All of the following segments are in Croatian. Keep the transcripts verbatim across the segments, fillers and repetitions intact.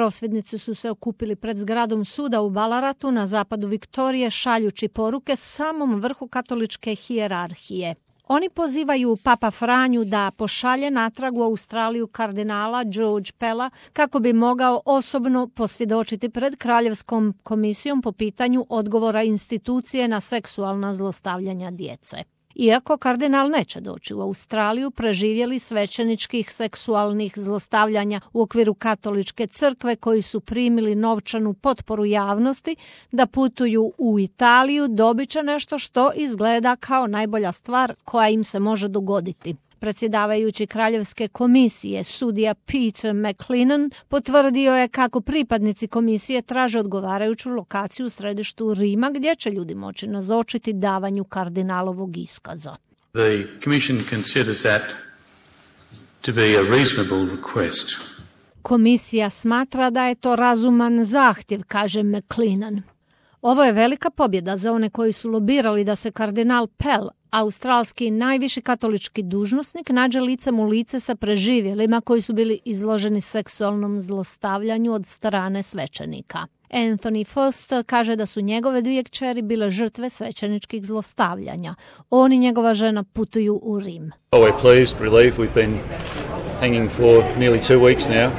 Prosvjednici su se okupili pred zgradom suda u Ballaratu na zapadu Viktorije šaljući poruke samom vrhu katoličke hijerarhije. Oni pozivaju Papa Franju da pošalje natrag u Australiju kardinala George Pella kako bi mogao osobno posvjedočiti pred Kraljevskom komisijom po pitanju odgovora institucije na seksualna zlostavljanja djece. Iako kardinal neće doći u Australiju, preživjeli svećeničkih seksualnih zlostavljanja u okviru katoličke crkve koji su primili novčanu potporu javnosti da putuju u Italiju, dobit će nešto što izgleda kao najbolja stvar koja im se može dogoditi. Predsjedavajući Kraljevske komisije, sudija Peter McLennan, potvrdio je kako pripadnici komisije traže odgovarajuću lokaciju u središtu Rima gdje će ljudi moći nazočiti davanju kardinalovog iskaza. The commission considers that to be a reasonable request. Komisija smatra da je to razuman zahtjev, kaže McLennan. Ovo je velika pobjeda za one koji su lobirali da se kardinal Pell, australski najviši katolički dužnosnik, nađe licem u lice sa preživjelima koji su bili izloženi seksualnom zlostavljanju od strane svećenika. Anthony Foster kaže da su njegove dvije kćeri bile žrtve svećeničkih zlostavljanja. On i njegova žena putuju u Rim. Oh, we're pleased, relieved. We've been hanging for nearly two weeks now.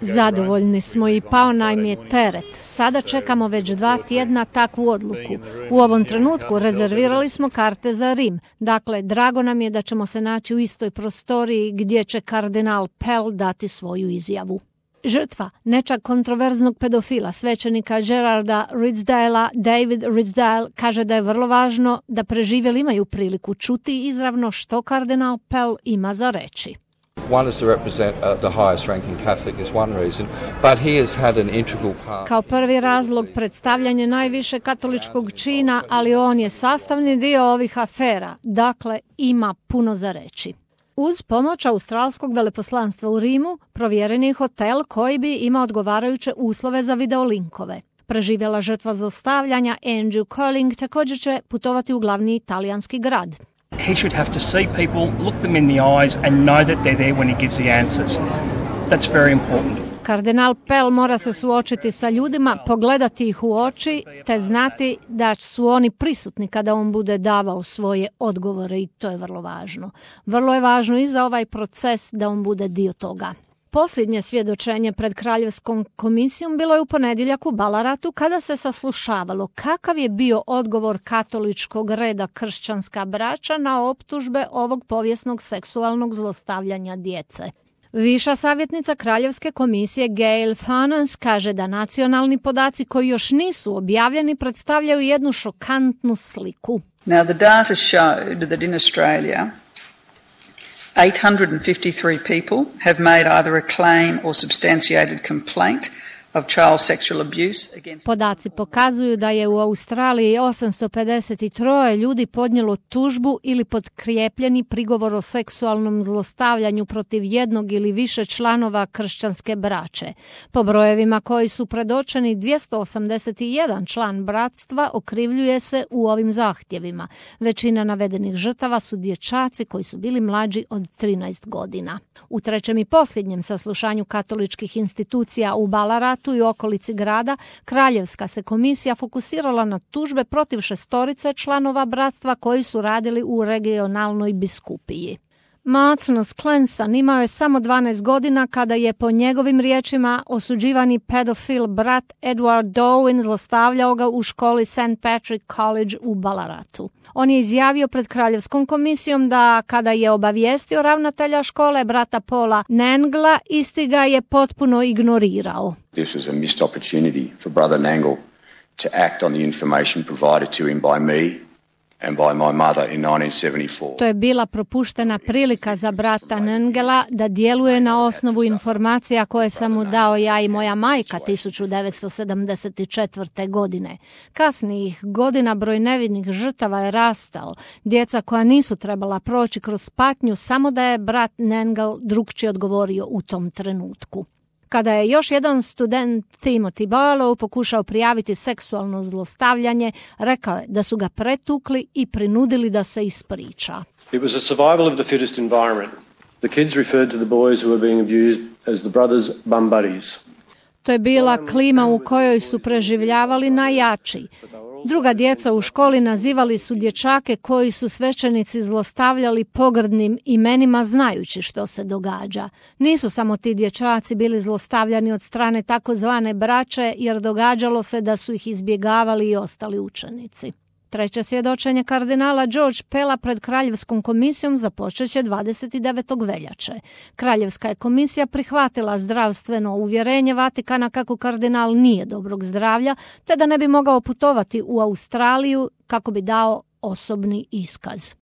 Zadovoljni smo i pao nam je teret. Sada čekamo već dva tjedna takvu odluku. U ovom trenutku rezervirali smo karte za Rim. Dakle, drago nam je da ćemo se naći u istoj prostoriji gdje će kardinal Pell dati svoju izjavu. Žrtva nečak kontroverznog pedofila, svećenika Gerarda Ridsdalea, David Ridsdale, kaže da je vrlo važno da preživjeli imaju priliku čuti izravno što kardinal Pell ima za reći. One is to represent uh, the highest ranking Catholic is one reason, but he has had an integral part. Kao prvi razlog predstavljanje najviše katoličkog čina, ali on je sastavni dio ovih afera, dakle ima puno za reći. Uz pomoć australskog veleposlanstva u Rimu provjeren je hotel koji bi imao odgovarajuće uslove za videolinkove. Preživjela žrtva zlostavljanja Andrew Colling također će putovati u glavni italijanski grad. He should have to see people, look them in the eyes and know that they're there when he gives the answers. That's very important. Kardinal Pell mora se suočiti sa ljudima, pogledati ih u oči, te znati da su oni prisutni kada on bude davao svoje odgovore i to je vrlo važno. Vrlo je važno i za ovaj proces da on bude dio toga. Posljednje svjedočenje pred Kraljevskom komisijom bilo je u ponedjeljak u Ballaratu kada se saslušavalo kakav je bio odgovor katoličkog reda kršćanska braća na optužbe ovog povijesnog seksualnog zlostavljanja djece. Viša savjetnica Kraljevske komisije Gail Furness kaže da nacionalni podaci koji još nisu objavljeni predstavljaju jednu šokantnu sliku. Now the data showed that in Australia eight hundred fifty-three people have made either a claim or substantiated complaint of child sexual abuse against... Podaci pokazuju da je u Australiji osamsto pedeset tri ljudi podnijelo tužbu ili potkrijepljeni prigovor o seksualnom zlostavljanju protiv jednog ili više članova kršćanske braće. Po brojevima koji su predočeni, dvjesto osamdeset jedan član bratstva okrivljuje se u ovim zahtjevima. Većina navedenih žrtava su dječaci koji su bili mlađi od trinaest godina. U trećem i posljednjem saslušanju katoličkih institucija u Ballaratu i okolici grada, Kraljevska se komisija fokusirala na tužbe protiv šestorice članova bratstva koji su radili u regionalnoj biskupiji. Martinus Clenson imao je samo dvanaest godina kada je po njegovim riječima osuđivani pedofil brat Edward Darwin zlostavljao ga u školi Saint Patrick College u Ballaratu. On je izjavio pred Kraljevskom komisijom da kada je obavijestio ravnatelja škole brata Paula Nangla, isti ga je potpuno ignorirao. This was a missed opportunity for brother Nangle to act on the information provided to him by me and by my mother in nineteen seventy-four. To je bila propuštena prilika za brata Nangela da djeluje na osnovu informacija koje sam mu dao ja i moja majka tisuću devetsto sedamdeset četvrte. godine. Kasnijih godina broj nevinih žrtava je rastao. Djeca koja nisu trebala proći kroz patnju, samo da je brat Nangel drukčije odgovorio u tom trenutku. Kada je još jedan student Timothy Barlow pokušao prijaviti seksualno zlostavljanje, rekao je da su ga pretukli i prinudili da se ispriča. It was a survival of the fittest environment. The kids referred to the boys who were being abused as the brothers' bum buddies. To je bila klima u kojoj su preživljavali najjači. Druga djeca u školi nazivali su dječake koji su svećenici zlostavljali pogrdnim imenima znajući što se događa. Nisu samo ti dječaci bili zlostavljani od strane takozvane braće, jer događalo se da su ih izbjegavali i ostali učenici. Treće svjedočenje kardinala George Pella pred Kraljevskom komisijom započet će dvadeset devetog veljače. Kraljevska je komisija prihvatila zdravstveno uvjerenje Vatikana kako kardinal nije dobrog zdravlja, te da ne bi mogao putovati u Australiju kako bi dao osobni iskaz.